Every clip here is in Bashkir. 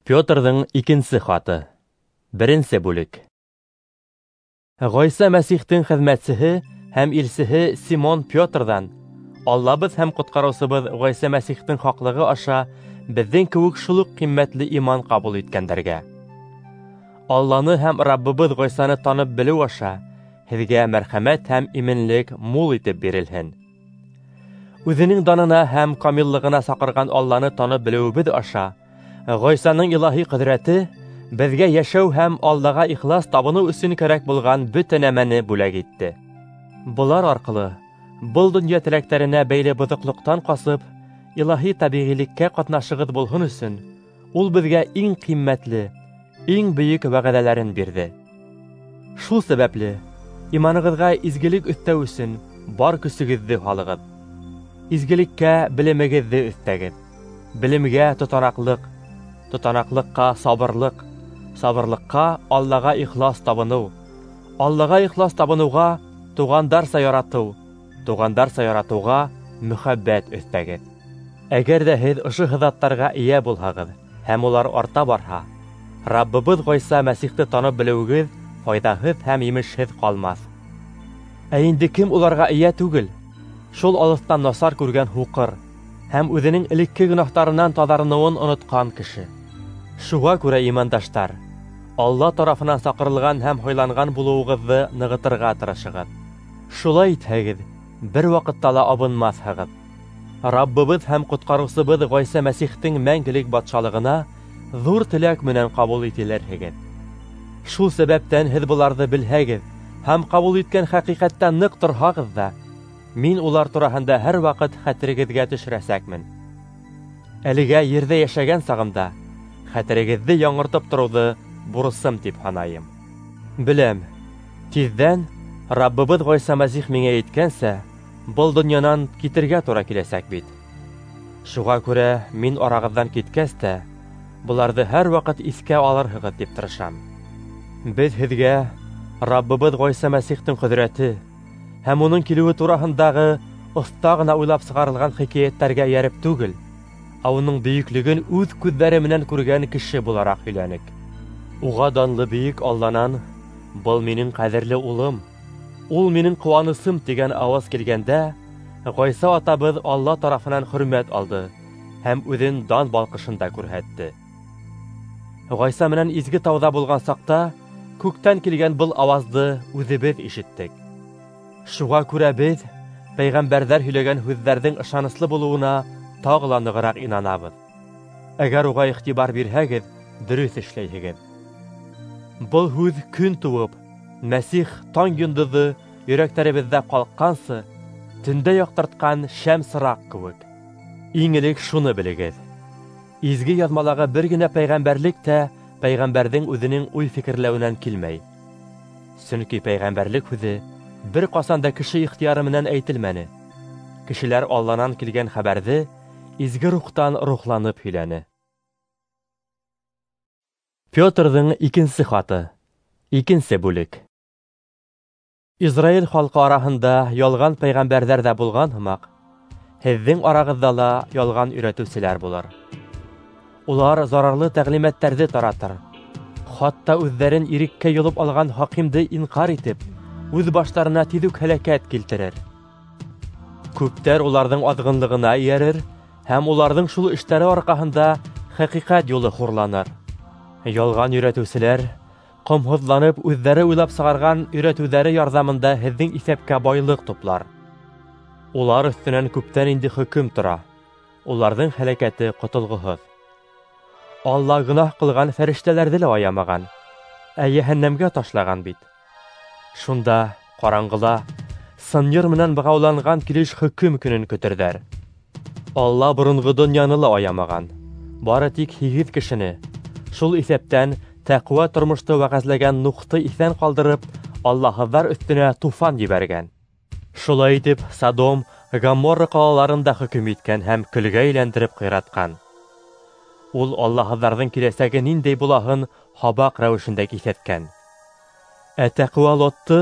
Петрҙың икенсе хаты. Беренсе бүлек. Ғайса Мәсихтең хеҙмәтсеһе һәм илсеһе Симон Петрҙан Аллабыҙ һәм ҡотҡарыусыбыҙ Ғайса Мәсихтең хаҡлығы аша беҙҙең кеүек шул уҡ ҡиммәтле иман ҡабул иткәндәргә. Алланы һәм Раббыбыҙ Ғайсаны танып белеү аша һеҙгә мәрхәмәт һәм именлек мул итеп бирелһен. Үҙенең данына һәм камиллығына саҡырған Алланы танып белеүебеҙ аша Ғайсаның илаһи ҡөҙрәте беҙгә йәшәү һәм Аллаға ихлас табыныу өсөн кәрәк булған бөтә нәмәне бүләк итте. Былар арҡылы был донъя теләктәренә бәйле боҙоҡлоҡтан ҡасып, илаһи тәбиғилеккә ҡатнашығыҙ булһын өсөн, ул беҙгә иң ҡиммәтле, иң бөйөк вәғәҙәләрен бирҙе. Шул сәбәпле иманығыҙға изгелек өҫтәү өсөн бар көсөгөҙҙө һалығыҙ. Изгелеккә белемегеҙҙе өҫтәгеҙ. Белемгә тотанаҡлыҡ, тотанаҡлыҡҡа сабырлыҡ, сабырлыҡҡа Аллаға ихлас табыныу, Аллаға ихлас табыныуға туғандарса яратыу, туғандарса яратыуға мөхәббәт өҫтәгеҙ. Әгәр ҙә һеҙ ошо һыҙаттарға эйә булһағыҙ һәм улар арта барһа, Раббыбыҙ Ғайса Мәсихте танып белеүегеҙ файҙаһыҙ һәм емешһеҙ ҡалмаҫ. Ә инде кем уларға эйә түгел, шул алыҫтан насар күргән һуҡыр һәм үҙенең элекке гонаһтарынан таҙарыныуын онотҡан кеше. Шуға күрә, имандаштар, Алла тарафынан саҡырылған һәм һайланған булыуығыҙҙы нығытырға тырышығыҙ. Шулай итһәгеҙ, бер ваҡытта ла абынмаҫһығыҙ. Раббыбыҙ һәм ҡотҡарыусыбыҙ Ғайса Мәсихтең мәңгелек батшалығына ҙур теләк менән ҡабул ителерһегеҙ. Шул сәбәптән һеҙ быларҙы белһәгеҙ һәм ҡабул иткән хәҡиҡәттә ныҡ торһағыҙ ҙа, мин улар тураһында һәр ваҡыт хәтерегеҙгә төшөрәсәкмен. Әлегә ерҙә йәшәгән сағымда хәтерегеҙҙе яңыртып тороуҙы бурысым тип һанайым. Беләм, тиҙҙән Раббыбыҙ Ғайса Мәсих миңә әйткәнсә, был донъянан китергә тура киләсәк бит. Шуға күрә мин арағыҙҙан киткәс тә, быларҙы һәр ваҡыт иҫкә алырһығыҙ тип тырышам. Беҙ һеҙгә Раббыбыҙ Ғайса Мәсихтең ҡөҙрәте һәм уның килеүе тураһындағы оҫта ғына уйлап сығарылған хикәйәттәргә эйәреп түгел, ә уның бөйөклөгөн үҙ күҙҙәре менән күргән кеше булараҡ һөйләнек. Уға данлы бөйөк Алланан: "Был минең ҡәҙерле улым, ул минең ҡыуанысым" тигән ауаз килгәндә, Ғайса атабыҙ Алла тарафынан хөрмәт алды һәм үҙен дан балҡышында күрһәтте. Ғайса менән изге тауҙа булған саҡта күктән килгән был ауазды үҙебеҙ ишеттек. Шуға күрә беҙ пәйғәмбәрҙәр һөйләгән һүҙҙәрҙең ышаныслы булыуына тағы ла нығыраҡ инанабыҙ. Әгәр уға иғтибар бирһәгеҙ, дөрөҫ эшләйһегеҙ. Был һүҙ көн тыуып, Мәсих таң йондоҙо йөрәктәребеҙҙә ҡалҡҡансы, төндә яҡтыртҡан шәм сыраҡ кеүек. Иң элек шуны белегеҙ: изге яҙмалағы бер генә пәйғәмбәрлек тә пәйғәмбәрҙең үҙенең уй-фекерләүенән килмәй. Сөнки пәйғәмбәрлек һүҙе бер ҡасан да кеше ихтыяры менән әйтелмәне. Кешеләр Алланан килгән хәбәрҙе изге рухтан рухланып һөйләне. Петрҙың икенсе хаты. Икенсе бүлек. Израиль халҡы араһында ялған пәйғәмбәрҙәр ҙә булған һымаҡ, һеҙҙең арағыҙҙа ла ялған өйрәтеүселәр булыр. Улар зарарлы тәғлимәттәрҙе таратыр, хатта үҙҙәрен иреккә йолоп алған хакимде инҡар итеп, үҙ баштарына тиҙ үк һәләкәт килтерер. Күптәр уларҙың аҙғынлығына эйәрер һәм уларҙың шул эштәре арҡаһында хәҡиҡәт юлы хурланыр. Ялған өйрәтеүселәр ҡомһоҙланып үҙҙәре уйлап сығарған өйрәтеүҙәре ярҙамында һеҙҙең иҫәпкә байлыҡ туплар. Улар өҫтөнән күптән инде хөкөм тора. Уларҙың һәләкәте ҡотолғоһоҙ. Алла гонаһ ҡылған фәрештәләрҙе лә аямаған, ә йәһәннәмгә ташлаған бит. Шунда ҡараңғыла сынйыр менән бығауланған килеш хөкөм көнөн көтөрҙәр. Алла боронғо донъяны ла аямаған, бары тик 8 кешене, шул иҫәптән тәҡүә тормошто вәғәзләгән Нухты иҫән ҡалдырып, аллаһыҙҙар өҫтөнә туфан ебәргән. Шулай итеп, Содом, Гоморра ҡалаларын да хөкөм иткән һәм көлгә әйләндереп ҡыйратҡан. Ул аллаһыҙҙарҙың киләсәге ниндәй булаһын һабаҡ рәүешендә киҫәткән. Ә тәҡүә Лотты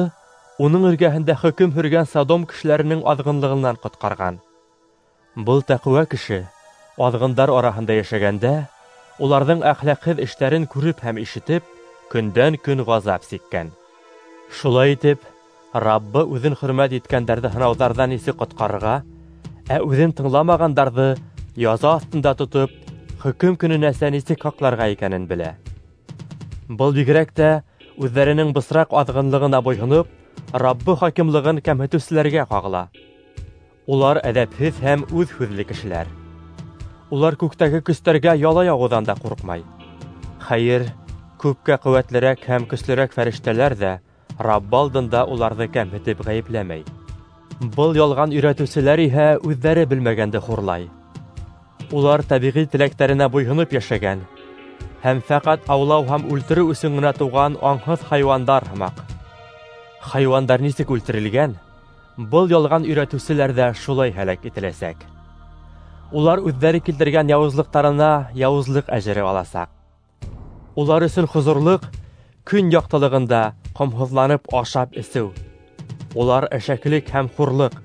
уның эргәһендә хөкөм һөргән Содом кешеләренең аҙғынлығынан ҡотҡарған. Был тәҡүә кеше аҙғындар араһында йәшәгәндә уларҙың әхлаҡһыҙ эштәрен күреп һәм ишетеп, көндән-көн ғазап сиккән. Шулай итеп, Раббы үҙен хөрмәт иткәндәрҙе һынауҙарҙан нисек ҡотҡарырға, ә үҙен тыңламағандарҙы яза аҫтында тотоп, хөкөм көнөнәсә нисек һаҡларға икәнен белә. Был бигерәк тә үҙҙәренең бысраҡ аҙғынлығына буйһоноп, Раббы хакимлығын кәмһетеүселәргә ҡағыла. Улар әҙәпһеҙ һәм үҙ һүҙле кешеләр. Улар күктәге көстәргә яла яғыуҙан да ҡурҡмай. Хәйер, күпкә ҡеүәтлерәк һәм көслөрәк фәрештәләр ҙә Раббы алдында уларҙы кәмһетеп ғәйепләмәй. Был ялған өйрәтеүселәр иһә үҙҙәре белмәгәнде хурлай. Улар тәбиғи теләктәренә буйһоноп йәшәгән һәм фәҡәт аулау һәм үлтереү өсөн генә тыуған аңһыҙ хайуандар һымаҡ. Хайуандар нисек үлтерелгән, был ялған өйрәтеүселәр ҙә шулай һәләк ителәсәк. Улар үҙҙәре килтергән яуызлыҡтарына яуызлыҡ әжере аласаҡ. Улар өсөн хозурлыҡ көн яҡтылығында ҡомһоҙланып ашап эсеү. Улар әшәкелек һәм хурлыҡ.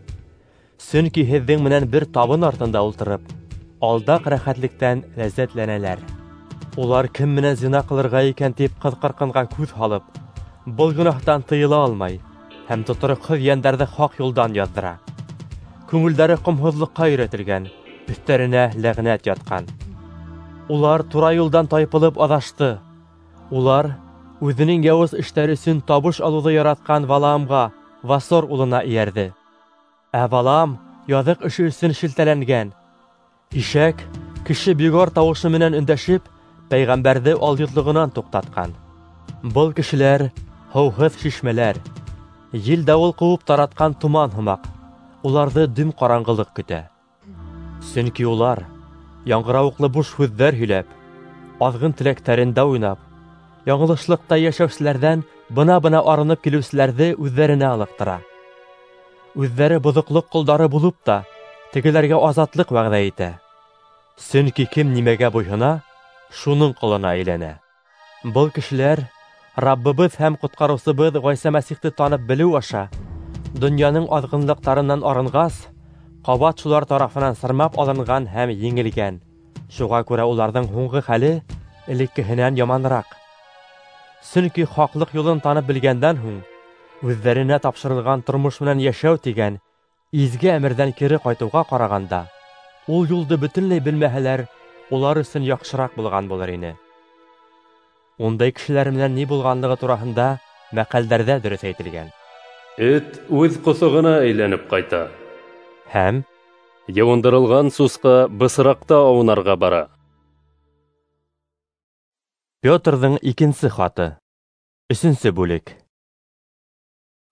Сөнки һеҙҙең менән бер табын артында ултырып, алдаҡ рәхәтлектән ләззәтләнәләр. Улар кем менән зина ҡылырға икән тип ҡыҙ-ҡырҡынға күҙ һалып, был гонаһтан тыйыла алмай һәм тотороҡһоҙ йәндәрҙе хаҡ юлдан яҙҙыра. Күңелдәре ҡомһоҙлоҡҡа өйрәтелгән, өҫтәренә ләғнәт ятҡан. Улар тура юлдан тайпылып аҙашты. Улар үҙенең яуыз эштәре өсөн табыш алыуҙы яратҡан Валаамға, Васор улына эйәрҙе. Ә Валаам яҙыҡ эше өсөн шелтәләнгән. Ишәк кеше бигор тауышы менән өндәшеп, пәйғәмбәрҙе алйотлоғонан туҡтатҡан. Был кешеләр һыуһыҙ шишмәләр, ел-дауыл ҡыуып таратҡан томан һымаҡ, уларҙы дөм ҡараңғылыҡ көтә. Сөнки улар яңғырауыҡлы буш һүҙҙәр һөйләп, аҙғын теләктәрендә уйнап, яңылышлыҡта йәшәүселәрҙән бына-бына арынып килеүселәрҙе үҙҙәренә ылыҡтыра. Үҙҙәре боҙоҡлоҡ ҡолдары булып та, тегеләргә азатлыҡ вәғәҙә итә. Сөнки кем нимәгә буйһона, шуның ҡолона әйләнә. Был кешеләр Раббыбыҙ һәм ҡотҡарыусыбыҙ Ғайса Мәсихте танып белеү аша донъяның аҙғынлыҡтарынан арынғас, ҡабат шулар тарафынан сырмап алынған һәм еңелгән. Шуға күрә уларҙың һуңғы хәле элеккеһенән яманыраҡ. Сөнки хаҡлыҡ юлын танып белгәндән һуң үҙҙәренә тапшырылған тормош менән йәшәү тигән изге әмерҙән кире ҡайтыуға ҡарағанда, ул юлды бөтөнләй белмәһәләр, улар өсөн яҡшыраҡ булған булыр ине. Ундай кешеләр менән ни булғанлығы тураһында мәҡәлдәрҙә дөрөҫ әйтелгән. Эт үҙ ҡоҫоғона әйләнеп ҡайта. Һәм йыуындырылған сусҡа бысраҡта аунарға бара. Петрҙың икенсе хаты. 3-нсе бүлек.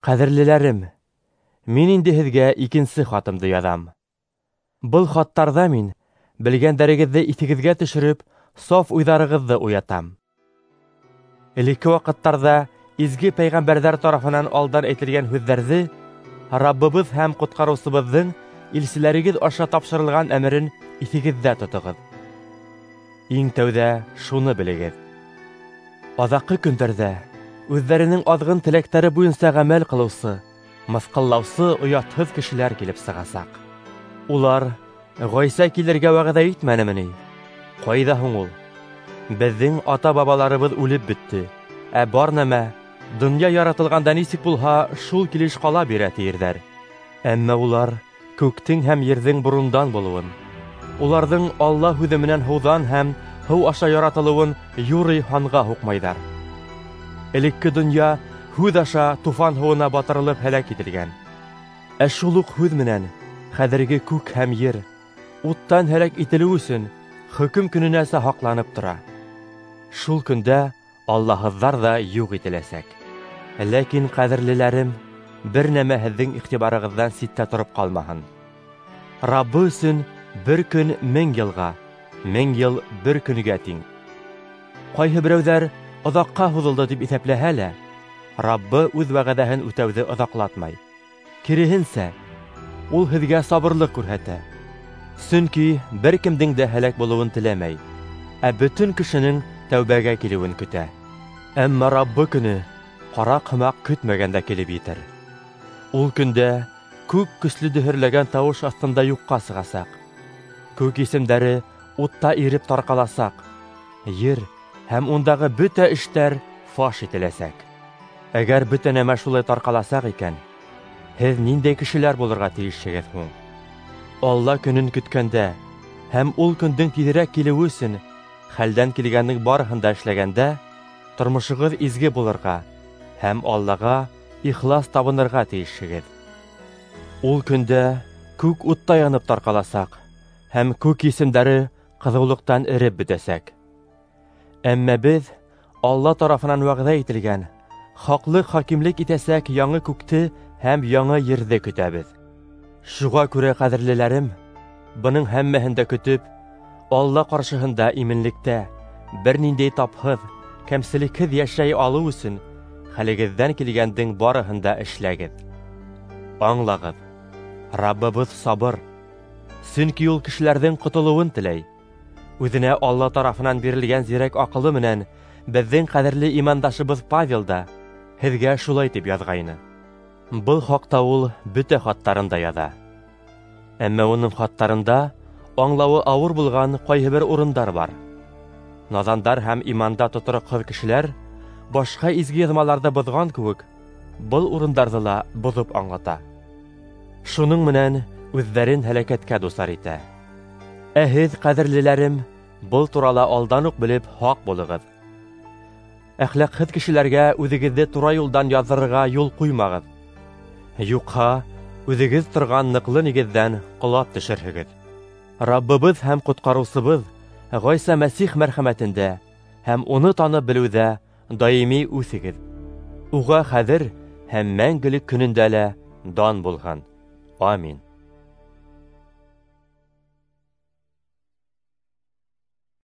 Ҡәҙерлеләрем, мин инде һеҙгә икенсе хатымды яҙам. Был хаттарҙа мин белгәндәрегеҙҙе иҫегеҙгә төшөрөп, саф уйҙарығыҙҙы уятам. Элекке ваҡыттарҙа изге пәйғәмбәрҙәр тарафынан алдан әйтелгән һүҙҙәрҙе Раббыбыҙ һәм ҡотҡарыусыбыҙҙың илселәрегеҙ аша тапшырылған әмерен иҫегеҙҙә тотоғоҙ. Иң тәүҙә шуны белегеҙ: аҙаҡҡы көндәрҙә үҙҙәренең аҙғын теләктәре буйынса ғәмәл ҡылыусы, мыҫҡыллаусы оятһыҙ кешеләр килеп сығасаҡ. Улар Ғайса килергә вәғәҙә итмәнеме ни? Ҡайҙа һуң ул? Беҙҙең ата-бабаларыбыҙ үлеп бөттө, ә бар нәмә донъя яратылғанда нисек булһа, шул килеш ҡала бирә тиерҙәр. Әммә улар күктең һәм ерҙең борондан булыуын, уларҙың Алла һүҙе менән һыуҙан һәм һыу аша яратылыуын юрый һанға һуҡмайҙар. Элекке донъя һүҙ аша туфан һыуына батырылып һәләк ителгән. Ә шул уҡ һүҙ менән хәҙерге күк һәм ер уттан һәләк ителеү өсөн хөкөм көнөнәсә һаҡланып тора. Шул көндә аллаһыҙҙар ҙа юҡ ителәсәк. Ләкин, ҡәҙерлеләрем, бер нәмә һеҙҙең иғтибарығыҙҙан ситтә тороп ҡалмаһын. Раббы өсөн бер көн 1000 йылға, 1000 йыл бер көнгә тиң. Ҡайһы берәүҙәр оҙаҡҡа һуҙылды тип иҫәпләһә лә, Раббы үҙ вәғәҙәһен үтәүҙе оҙаҡлатмай. Киреһенсә, ул һеҙгә сабырлыҡ күрһәтә. Сөнки бер кемдең дә һәләк булыуын теләмәй, ә бөтөн кешенең тәүбәгә килеүен көтә. Әммә Раббы көнө ҡараҡ һымаҡ көтмәгәндә килеп етер. Ул көндә күк көслө дөһөрләгән тауыш аҫтында юҡҡа сығасаҡ. Күк исемдәре утта иреп тарҡаласаҡ. Ер һәм ундағы бөтә эштәр фаш ителәсәк. Әгәр бөтә нәмә шулай тарҡаласаҡ икән, һеҙ ниндәй кешеләр булырға тейешһегеҙ һуң? Алла көнөн көткәндә һәм ул көндөң тиҙерәк килеүе өсөн хәлдән килгәндең барыһын да эшләгәндә, тормошоғоҙ изге булырға һәм Аллаға ихлас табынырға тейешһегеҙ. Ул көндә күк утта янып тарҡаласаҡ һәм күк есемдәре ҡыҙыулыҡтан эреп бөтәсәк. Әммә беҙ Алла тарафынан вәғәҙә ителгән хаҡлыҡ хакимлек итәсәк яңы күкте һәм яңы ерҙе көтәбеҙ. Шуға күрә, ҡәҙерлеләрем, бының һәммәһен дә көтөп, Алла ҡаршыһында именлектә, бер ниндәй тапһыҙ, кәмселекһеҙ йәшәй алыу өсөн хәлегеҙҙән килгәндең барыһын да эшләгеҙ. Аңлағыҙ, Раббыбыҙ сабыр, сөнки ул кешеләрҙең ҡотолоуын теләй. Үҙенә Алла тарафынан бирелгән зирәк аҡылы менән беҙҙең ҡәҙерле имандашыбыҙ Павел да һеҙгә шулай тип яҙғайны. Был хаҡта ул бөтә хаттарында яҙа. Әммә уның хаттарында аңлауы ауыр булған ҡайһы бер урындар бар. Наҙандар һәм иманда тотороҡһоҙ кешеләр башҡа изге яҙмаларҙы боҙған кеүек, был урындарҙы ла боҙоп аңлата. Шуның менән үҙҙәрен һәләкәткә дусар итә. Ә һеҙ, ҡәҙерлеләрем, был турала алдан уҡ белеп һаҡ булығыҙ. Әхлаҡһыҙ кешеләргә үҙегеҙҙе тура юлдан яҙҙырырға юл ҡуймағыҙ. Юҡһа, үҙегеҙ торған ныҡлы нигеҙҙән ҡолап төшөрһөгөҙ. Раббыбыҙ һәм ҡотҡарыусыбыҙ Ғайса Мәсих мәрхәмәтендә һәм уны танып белеүҙә даими үҫегеҙ. Уға хәҙер һәм мәңгелек көнөндә лә дан булһын. Амин.